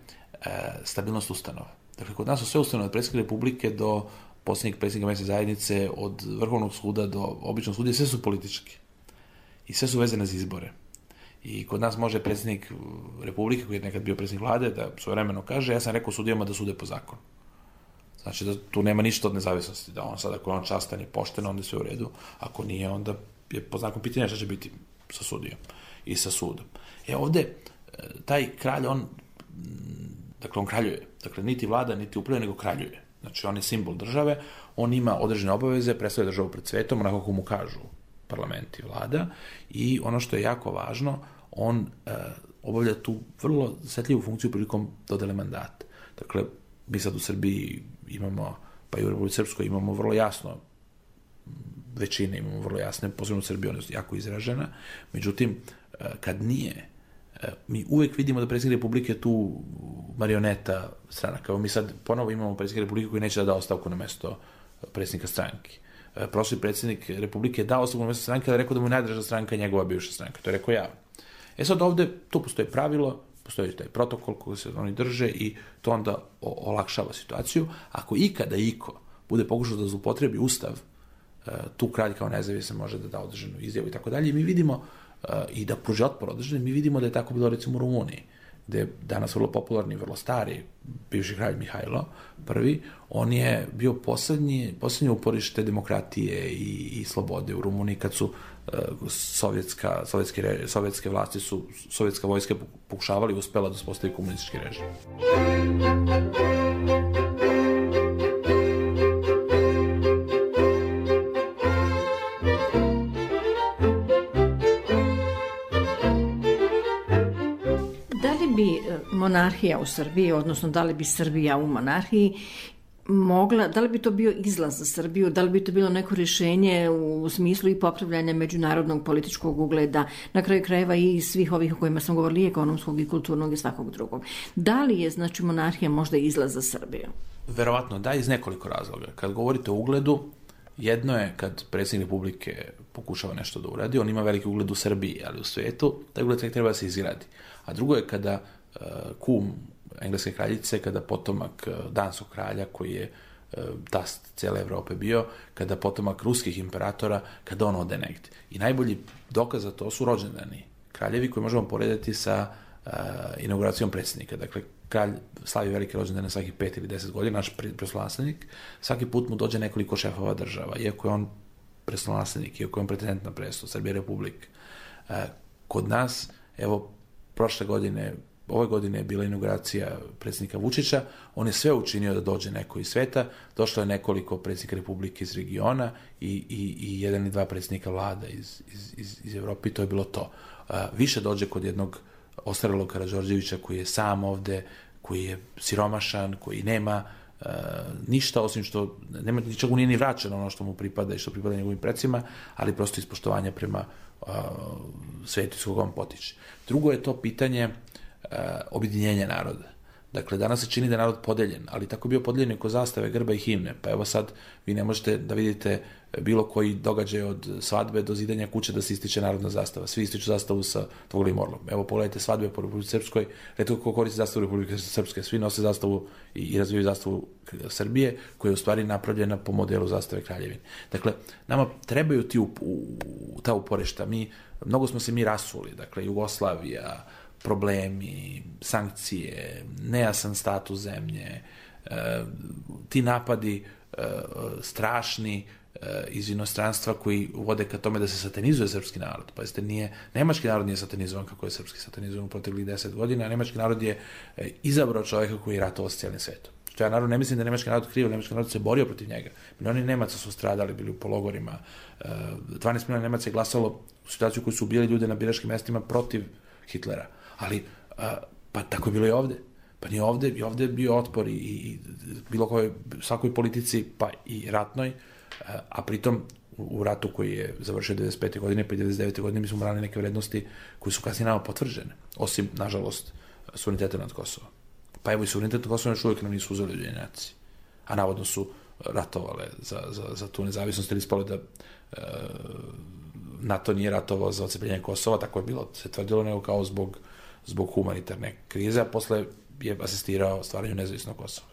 stabilnost ustanova. Dakle, kod nas su sve ustanove od predsjednika Republike do posljednjeg predsjednika mesne zajednice, od Vrhovnog suda do običnog suda, sve su politički. I sve su vezane za izbore. I kod nas može predsjednik Republike, koji je nekad bio predsjednik vlade, da svojevremeno kaže, ja sam rekao sudijama da sude po zakonu. Znači da tu nema ništa od nezavisnosti, da on sad, ako je on častan i pošten, onda je sve u redu. Ako nije, onda je po znakom pitanja šta će biti sa sudijom i sa sudom. E ovde, taj kralj, on dakle, on kraljuje. Dakle, niti vlada, niti upravlja, nego kraljuje. Znači, on je simbol države, on ima određene obaveze, predstavlja državu pred svetom, onako kako mu kažu parlament i vlada, i ono što je jako važno, on e, obavlja tu vrlo osjetljivu funkciju prilikom dodele mandata. Dakle, mi sad u Srbiji imamo, pa i u Republici Srpskoj imamo vrlo jasno većine, imamo vrlo jasne, posebno u Srbiji, ona je jako izražena, međutim, e, kad nije, mi uvek vidimo da predsjednik Republike je tu marioneta stranaka. Evo mi sad ponovo imamo predsjednika Republike koji neće da da ostavku na mesto predsjednika stranke. Prošli predsjednik Republike je dao ostavku na mesto stranke, da je rekao da mu je najdraža stranka njegova bivša stranka. To je rekao ja. E sad ovde, tu postoji pravilo, postoji taj protokol koji se oni drže i to onda olakšava situaciju. Ako ikada iko bude pokušao da zloupotrebi Ustav, tu kralj kao nezavisan može da da određenu izjavu i tako dalje. Mi vidimo i da pruži otpor određeni, mi vidimo da je tako bilo recimo u Rumuniji, gde je danas vrlo popularni, vrlo stari bivši kralj Mihajlo prvi, on je bio poslednji, poslednje uporište demokratije i, i slobode u Rumuniji kad su uh, sovjetska, sovjetske, sovjetske vlasti su, sovjetska vojska pokušavali i uspela da uspostavi komunistički režim. Muzika. monarhija u Srbiji, odnosno da li bi Srbija u monarhiji mogla, da li bi to bio izlaz za Srbiju, da li bi to bilo neko rješenje u smislu i popravljanja međunarodnog političkog ugleda, na kraju krajeva i svih ovih o kojima sam govorili, ekonomskog i kulturnog i svakog drugog. Da li je, znači, monarhija možda izlaz za Srbiju? Verovatno da, iz nekoliko razloga. Kad govorite o ugledu, jedno je kad predsjednik Republike pokušava nešto da uradi, on ima veliki ugled u Srbiji, ali u svijetu taj ugled tek treba da se izgradi. A drugo je kada uh, kum engleske kraljice, kada potomak danskog kralja, koji je tast cijele Evrope bio, kada potomak ruskih imperatora, kada on ode negdje. I najbolji dokaz za to su rođendani kraljevi koji možemo porediti sa uh, inauguracijom predsjednika. Dakle, kralj slavi velike rođendane svakih pet ili deset godina, naš prestolonaslednik, svaki put mu dođe nekoliko šefova država, iako je on prestolonaslednik, iako je on pretendent na presto, Srbija republik. Uh, kod nas, evo, prošle godine, ove godine je bila inauguracija predsjednika Vučića, on je sve učinio da dođe neko iz sveta, došlo je nekoliko predsjednika Republike iz regiona i, i, i jedan i dva predsjednika vlada iz, iz, iz, iz Evrope, i to je bilo to. Uh, više dođe kod jednog ostarelog Karađorđevića koji je sam ovde, koji je siromašan, koji nema uh, ništa, osim što nema, ničeg mu nije ni vraćeno ono što mu pripada i što pripada njegovim predsima, ali prosto ispoštovanja prema uh, svetu iz koga on potiče. Drugo je to pitanje Uh, objedinjenja naroda. Dakle, danas se čini da je narod podeljen, ali tako je bio podeljen oko zastave, grba i himne. Pa evo sad, vi ne možete da vidite bilo koji događaj od svadbe do zidanja kuće da se ističe narodna zastava. Svi ističu zastavu sa dvogolim orlom. Evo, pogledajte svadbe po Republici Srpskoj, retko ko koristi zastavu Republike Srpske. Svi nose zastavu i, i razvijaju zastavu Srbije, koja je u stvari napravljena po modelu zastave Kraljevine. Dakle, nama trebaju ti up, u, ta uporišta. Mi, mnogo smo se mi rasuli. Dakle, Jugoslavija, problemi, sankcije, nejasan status zemlje, e, ti napadi e, strašni e, iz inostranstva koji vode ka tome da se satanizuje srpski narod. Pazite, nije, nemački narod nije satanizovan kako je srpski satanizovan u proteklih deset godina, a nemački narod je e, izabrao čovjeka koji je ratovao s cijelim svetom. Što ja naravno ne mislim da je nemački narod kriv, nemački narod se borio protiv njega. Milioni Nemaca su stradali, bili u pologorima, e, dvanaest miliona Nemaca je glasalo u situaciju koju su ubijali ljude na biračkim mestima protiv Hitlera. Ali, a, pa tako je bilo i ovde. Pa ni ovde, i ovde je bio otpor i, i bilo kojoj, svakoj politici, pa i ratnoj, a, a pritom u, u ratu koji je završio devedeset pete godine, pa i devedeset devete godine mi smo branili neke vrednosti koje su kasnije nama potvrđene, osim, nažalost, suvereniteta nad Kosovom. Pa evo i suverenitet nad Kosovom još uvijek nam nisu uzeli Ujedinjeni nacije, a navodno su ratovale za, za, za tu nezavisnost, ili ispalo da e, NATO nije ratovao za odcepljenje Kosova, tako je bilo, se tvrdilo, nego kao zbog zbog humanitarne krize, a posle je asistirao stvaranju nezavisnog Kosova.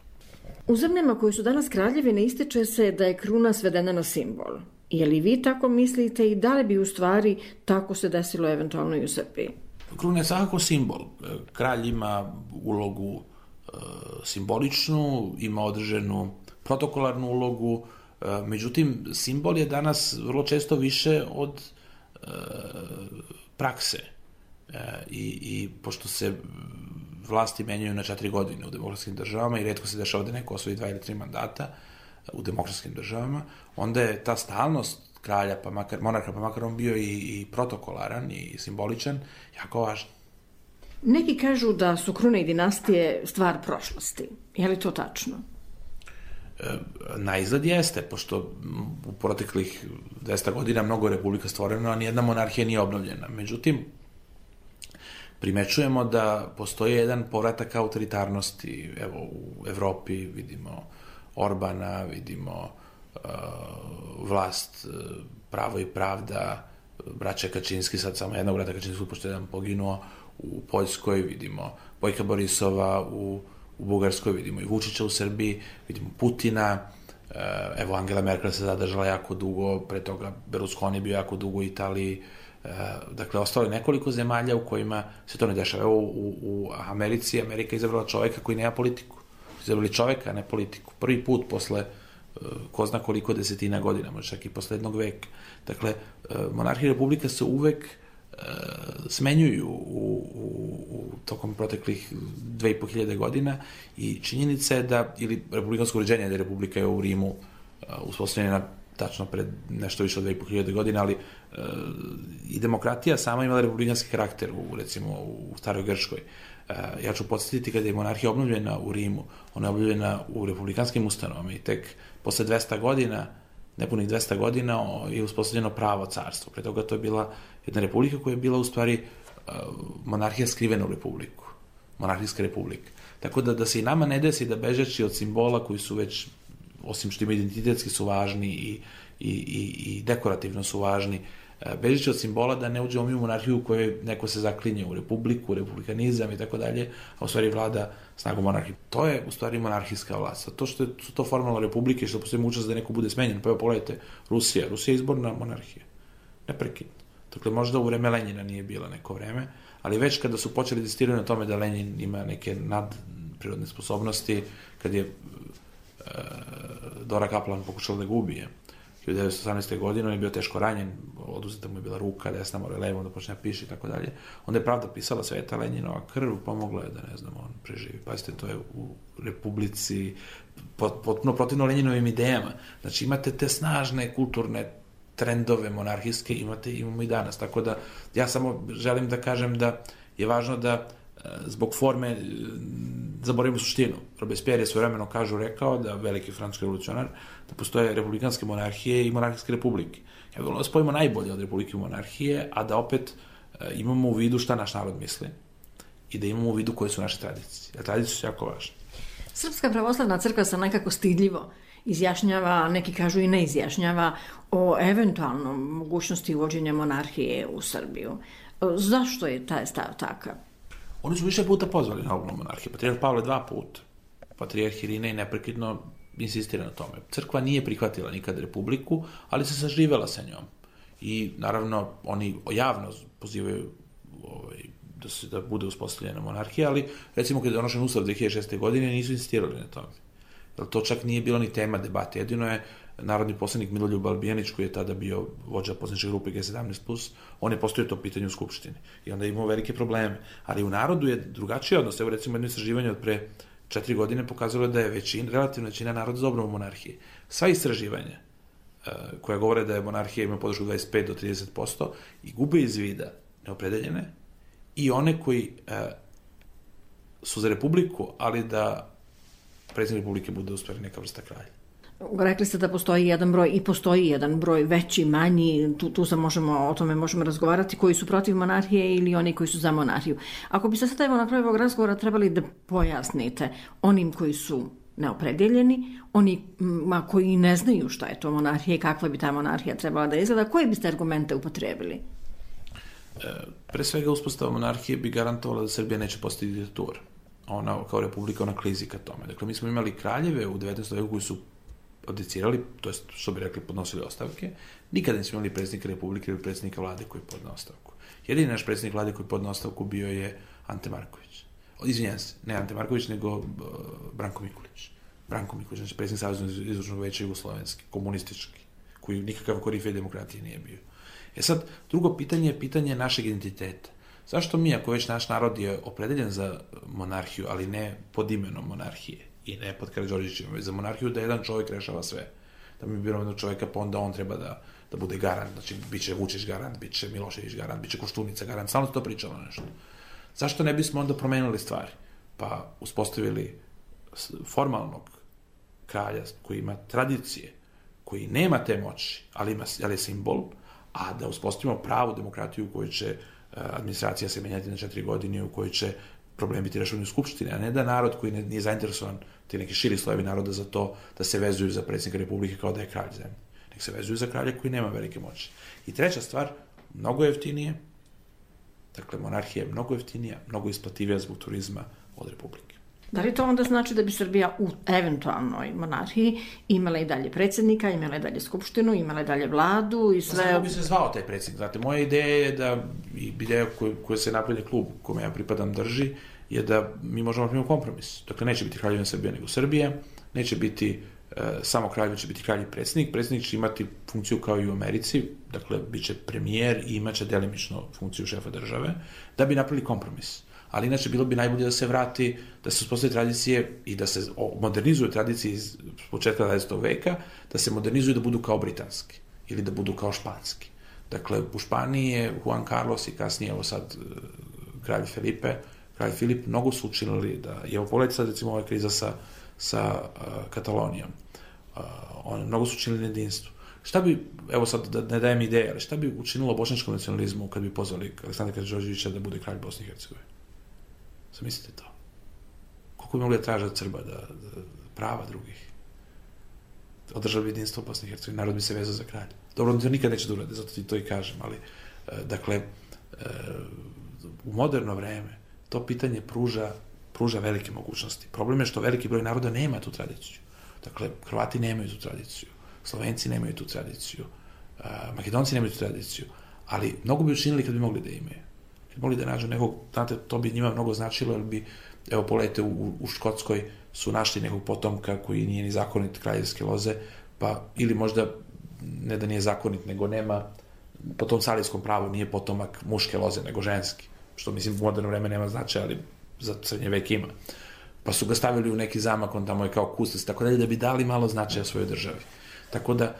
U zemljama koji su danas kraljevine ističe se da je kruna svedena na simbol. Je li vi tako mislite i da li bi u stvari tako se desilo eventualno i u Srbiji? Kruna je svakako simbol. Kralj ima ulogu e, simboličnu, ima određenu protokolarnu ulogu, e, međutim, simbol je danas vrlo često više od e, prakse. I, i pošto se vlasti menjaju na četiri godine u demokratskim državama i retko se dešava da neko osvoji dva ili tri mandata u demokratskim državama, onda je ta stalnost kralja, pa makar, monarha, pa makar on bio i, i protokolaran i simboličan, jako važan. Neki kažu da su krune i dinastije stvar prošlosti. Je li to tačno? E, na izgled jeste, pošto u proteklih dvesta godina mnogo republika stvoreno, a nijedna monarhija nije obnovljena. Međutim, primećujemo da postoji jedan povratak autoritarnosti. Evo, u Evropi vidimo Orbana, vidimo uh, vlast uh, Pravo i pravda, braća Kačinski, sad samo jednog brata Kačinskog, pošto jedan poginuo, u Poljskoj vidimo Bojka Borisova, u, u Bugarskoj vidimo i Vučića u Srbiji, vidimo Putina, uh, evo Angela Merkel se zadržala jako dugo, pre toga Berlusconi bio jako dugo u Italiji. Dakle, ostalo je nekoliko zemalja u kojima se to ne dešava. Evo, u, u Americi, Amerika izabrala čoveka koji nema politiku. Izabrali čoveka, a ne politiku. Prvi put posle ko zna koliko desetina godina, možda čak i posle jednog veka. Dakle, monarhija i republika se uvek smenjuju u, u, u tokom proteklih dve i po hiljade godina i činjenica je da, ili republikansko uređenje, da republika je u Rimu uspostavljena tačno pred nešto više od dve i po hiljade godina, ali e, i demokratija sama imala republikanski karakter u, recimo, u staroj Grčkoj. Ja ću podsjetiti kada je monarhija obnovljena u Rimu, ona je obnovljena u republikanskim ustanovama i tek posle dvesta godina, nepunih dvesta godina, je uspostavljeno pravo carstvo. Pre toga to je bila jedna republika koja je bila u stvari monarhija skrivena u republiku, monarhijska republika. Tako da, da se i nama ne desi da bežeći od simbola koji su već, osim što ima identitetski su važni i, i, i, i dekorativno su važni, bežeći od simbola da ne uđemo mi u monarhiju u kojoj neko se zaklinje u republiku, republikanizam i tako dalje, a u stvari vlada snagom monarhije. To je u stvari monarhijska vlast. To što su to formalno republike, što postoji mogućnost da neko bude smenjen, pa evo pogledajte, Rusija. Rusija je izborna monarhija. Neprekidno. Dakle, možda u vreme Lenjina nije bila neko vreme, ali već kada su počeli da insistiraju na tome da Lenjin ima neke nadprirodne sposobnosti, kad je e, Dora Kaplan pokušala da ga ubije, hiljadu devetsto osamnaeste. godine, on je bio teško ranjen, oduzeta mu je bila ruka, desna mora levo, da počne da piše i tako dalje. Onda je pravda pisala Sveta Lenjinova krv, pomogla je da, ne znam, on preživi. Pazite, to je u republici potpuno protivno Lenjinovim idejama. Znači, imate te snažne kulturne trendove monarhijske, imate, imamo i danas. Tako da, ja samo želim da kažem da je važno da zbog forme zaboravimo suštinu. Robespierre je svojevremeno kažu rekao da veliki francuski revolucionar da postoje republikanske monarhije i monarhijske republike. Ja bih volio da spojimo najbolje od republike i monarhije, a da opet imamo u vidu šta naš narod misli i da imamo u vidu koje su naše tradicije. A tradicije su jako važne. Srpska pravoslavna crkva se nekako stidljivo izjašnjava, neki kažu i ne izjašnjava, o eventualnom mogućnosti uvođenja monarhije u Srbiju. Zašto je taj stav takav? Oni su više puta pozvali na obnovu monarhije. Patrijarh Pavle dva puta. Patrijarh Irinej neprekidno insistira na tome. Crkva nije prihvatila nikad republiku, ali se saživela sa njom. I naravno oni javno pozivaju ovaj, da se da bude uspostavljena monarhija, ali recimo kada je donošen ustav dve hiljade šeste. godine nisu insistirali na tome. Jer to čak nije bilo ni tema debate. Jedino je narodni poslanik Miloljub Albijanić, koji je tada bio vođa poslaničke grupe G sedamnaest plus, on je postavio to pitanje u Skupštini. I onda je imao velike probleme. Ali u narodu je drugačiji odnos. Evo recimo jedno istraživanje od pre četiri godine pokazalo da je većina, relativna većina naroda za obnovu monarhije. Sva istraživanja uh, koja govore da je monarhija ima podršku dvadeset pet do trideset posto i gube iz vida neopredeljene i one koji uh, su za republiku, ali da predsjednik republike bude u stvari neka vrsta kralja. Rekli ste da postoji jedan broj i postoji jedan broj veći, manji, tu, tu se možemo, o tome možemo razgovarati, koji su protiv monarhije ili oni koji su za monarhiju. Ako bi se sad evo na kraju ovog razgovora trebali da pojasnite onim koji su neopredeljeni, onima koji ne znaju šta je to monarhija i kakva bi ta monarhija trebala da izgleda, koje biste argumente upotrebili? E, pre svega uspostava monarhije bi garantovala da Srbija neće postati diktatura. Ona kao republika, ona klizi ka tome. Dakle, mi smo imali kraljeve u devetnaestom veku koji su abdicirali, to je što bi rekli podnosili ostavke, nikada nismo imali predsjednika republike ili predsjednika vlade koji podne ostavku. Jedini naš predsjednik vlade koji podne ostavku bio je Ante Marković. Izvinjam se, ne Ante Marković, nego uh, Branko Mikulić. Branko Mikulić, znači predsjednik Saveznog izvršnog veća jugoslovenski, komunistički, koji nikakav korifej demokratije nije bio. E sad, drugo pitanje je pitanje našeg identiteta. Zašto mi, ako već naš narod je opredeljen za monarhiju, ali ne pod imenom monarhije, i ne pod Karađorđevićem, već za monarhiju, da jedan čovjek rešava sve. Da mi biramo jednog čovjeka, pa onda on treba da, da bude garant. Znači, bit će Vučić garant, bit će Milošević garant, bit će Koštunica garant. Stalno to pričalo nešto. Zašto ne bismo onda promenili stvari? Pa uspostavili formalnog kralja koji ima tradicije, koji nema te moći, ali, ima, ali je simbol, a da uspostavimo pravu demokratiju u kojoj će administracija se menjati na četiri godine, u kojoj će problem biti rešavani u Skupštini, a ne da narod koji nije zainteresovan, ti neki širi slojevi naroda za to da se vezuju za predsjednika republike kao da je kralj zemlje. Nek se vezuju za kralja koji nema velike moći. I treća stvar, mnogo jeftinije, dakle, monarhija je mnogo jeftinija, mnogo isplativija zbog turizma od republike. Da li to onda znači da bi Srbija u eventualnoj monarhiji imala i dalje predsjednika, imala i dalje skupštinu, imala i dalje vladu i sve... Kako bi se zvao taj predsjednik? Znate, moja ideja je da, i ideja koja se napredni klub kome ja pripadam drži, je da mi možemo napraviti kompromis. Dakle, neće biti kraljevina Srbija nego Srbija, neće biti e, samo kralj, će biti kralj i predsjednik. Predsjednik će imati funkciju kao i u Americi, dakle, bit će premijer i imaće delimično funkciju šefa države, da bi napravili kompromis. Ali inače bilo bi najbolje da se vrati, da se uspostavi tradicije i da se modernizuju tradicije iz početka dvadesetog veka, da se modernizuju da budu kao britanski ili da budu kao španski. Dakle, u Španiji je Juan Carlos i kasnije, evo sad, kralj Felipe, kralj Filip, mnogo su učinili da, evo pogledajte sad recimo ova kriza sa, sa uh, Katalonijom, uh, on, mnogo su učinili na jedinstvu. Šta bi, evo sad da ne dajem ideje, ali šta bi učinilo bošnjačkom nacionalizmu kad bi pozvali Aleksandra Karađorđevića da bude kralj Bosne i Hercegovine? Zamislite to. Koliko bi mogli da traže od Srba da, da prava drugih? Održali bi jedinstvo u Bosni i Hercegovini, narod bi se vezao za kralja. Dobro, to nikad neće da urade, zato ti to i kažem, ali dakle, u moderno vreme to pitanje pruža, pruža velike mogućnosti. Problem je što veliki broj naroda nema tu tradiciju. Dakle, Hrvati nemaju tu tradiciju, Slovenci nemaju tu tradiciju, Makedonci nemaju tu tradiciju, ali mnogo bi učinili kad bi mogli da imaju. Kad bi mogli da nađu nekog, znate, to bi njima mnogo značilo, jer bi, evo, pogledajte, u, u Škotskoj su našli nekog potomka koji nije ni zakonit kraljevske loze, pa, ili možda, ne da nije zakonit, nego nema, po tom carijskom pravu nije potomak muške loze, nego ženski, što mislim u moderno vreme nema značaja, ali za srednje vek ima. Pa su ga stavili u neki zamak, on tamo je kao kustos, tako dalje, da bi dali malo značaja svojoj državi. Tako da,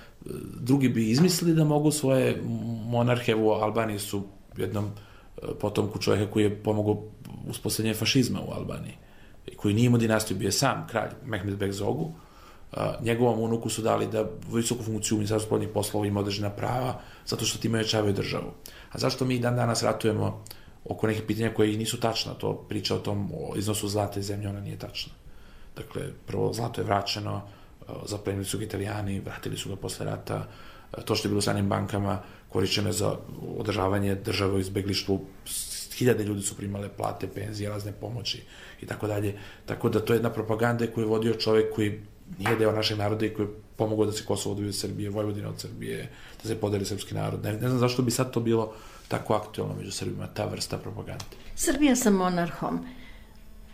drugi bi izmislili da mogu svoje monarhe u Albaniji su jednom potomku čovjeka koji je pomogao uspostavljanje fašizma u Albaniji, koji nije imao dinastiju, bio je sam kralj Mehmed Beg Zogu. Njegovom unuku su dali da visoku funkciju u Ministarstvu spoljnih poslova ima određena prava, zato što time ojačavaju državu. A zašto mi dan danas ratujemo oko nekih pitanja koje nisu tačna? To priča o tom o iznosu zlata iz zemlje, ona nije tačna. Dakle, prvo, zlato je vraćeno, zaplenili su ga Italijani, vratili su ga posle rata, to što je bilo u stranim bankama korišćeno je za održavanje države u izbeglištvu, hiljade ljudi su primale plate, penzije, razne pomoći i tako dalje. Tako da to je jedna propaganda koju je vodio čovjek koji nije deo našeg naroda i koji je pomogao da se Kosovo odvoji od Srbije, Vojvodina od Srbije, da se podeli srpski narod. Ne, ne znam zašto bi sad to bilo tako aktualno među Srbima, ta vrsta propagande. Srbija sa monarhom,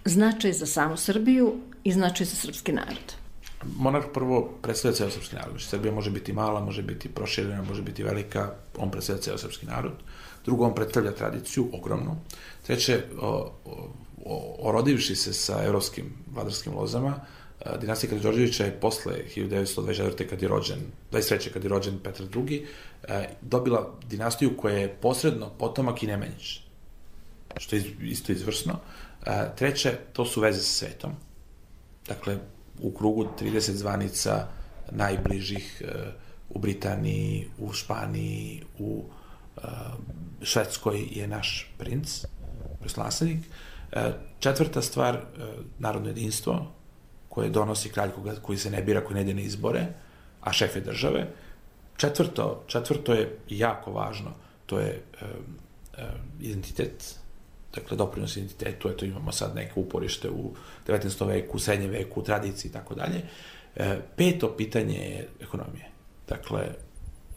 značaj za samu Srbiju i značaj za srpski narod. Monarh prvo predstavlja ceo srpski narod. Srbija može biti mala, može biti proširena, može biti velika, on predstavlja ceo srpski narod. Drugo, on predstavlja tradiciju, ogromnu. Treće, o, o, orodivši se sa evropskim vladarskim lozama, dinastija Karađorđevića je posle hiljadu devetsto dvadeset četvrte kad je rođen, dvadeset treće kad je rođen Petar drugi, dobila dinastiju koja je posredno potomak i Nemanjić, što je isto izvrsno. Treće, to su veze sa svetom. Dakle, u krugu trideset zvanica najbližih u Britaniji, u Španiji, u Švedskoj je naš princ, naslednik. Četvrta stvar, narodno jedinstvo, koje donosi kralj koji se ne bira, koji ne ide na izbore, a šef je države. Četvrto, četvrto je jako važno, to je um, um, identitet, dakle doprinos identitetu, eto imamo sad neke uporište u devetnaestom veku, u srednjem veku, u tradiciji i tako dalje. Peto pitanje je ekonomije. Dakle,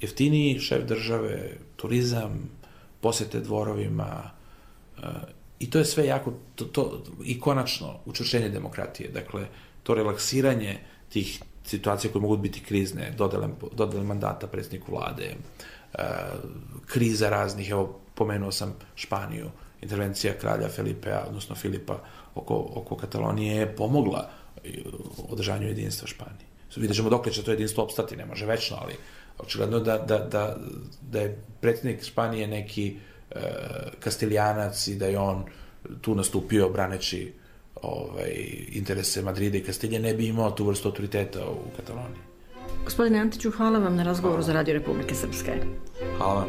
jeftiniji šef države, turizam, posete dvorovima, i to je sve jako, to, to, i konačno učvršćenje demokratije. Dakle, to relaksiranje tih situacija koje mogu biti krizne, dodele, dodele mandata predsjedniku vlade, kriza raznih, evo, pomenuo sam Španiju, intervencija kralja Felipea, odnosno Filipa oko, oko Katalonije je pomogla održanju jedinstva Španije. Vidjet ćemo dok će to jedinstvo opstati, ne može večno, ali očigledno da, da, da, da je predsjednik Španije neki e, kastilijanac i da je on tu nastupio braneći ovaj, interese Madrida i Kastilje, ne bi imao tu vrstu autoriteta u Kataloniji. Gospodine Antiću, hvala vam na razgovoru hvala. Za Radio Republike Srpske. Hvala vam.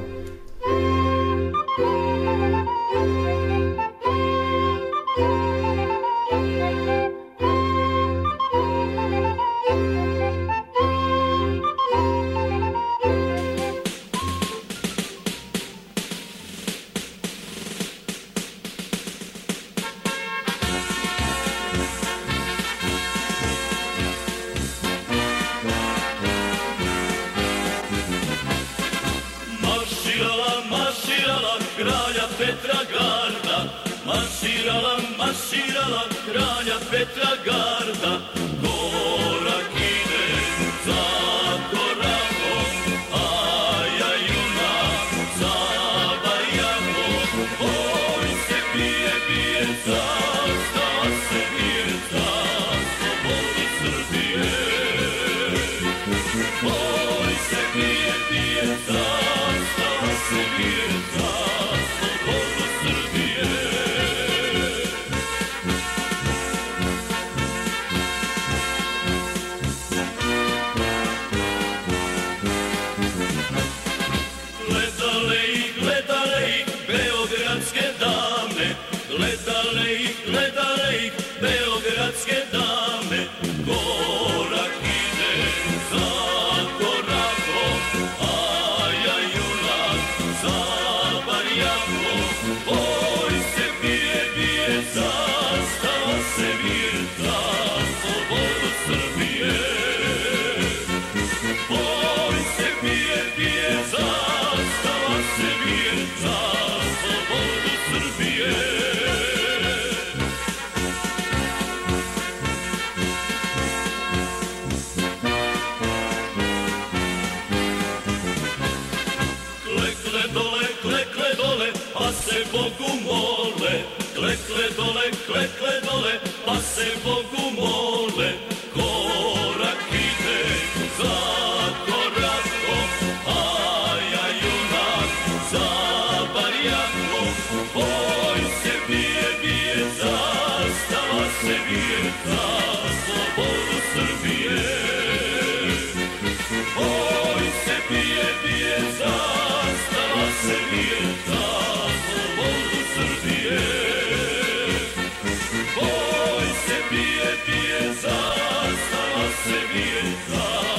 Bogu mole, klekle dole, klekle dole, pa se Bogu mole, korak ide za korakom, a ja junak za barjakom, oj se bije, bije, zastava se bije, za slobodu Srbije. Oj se bije, bije, zastava se bije, za slobodu Srbije. Oj se bije, bije, zastava se bije, za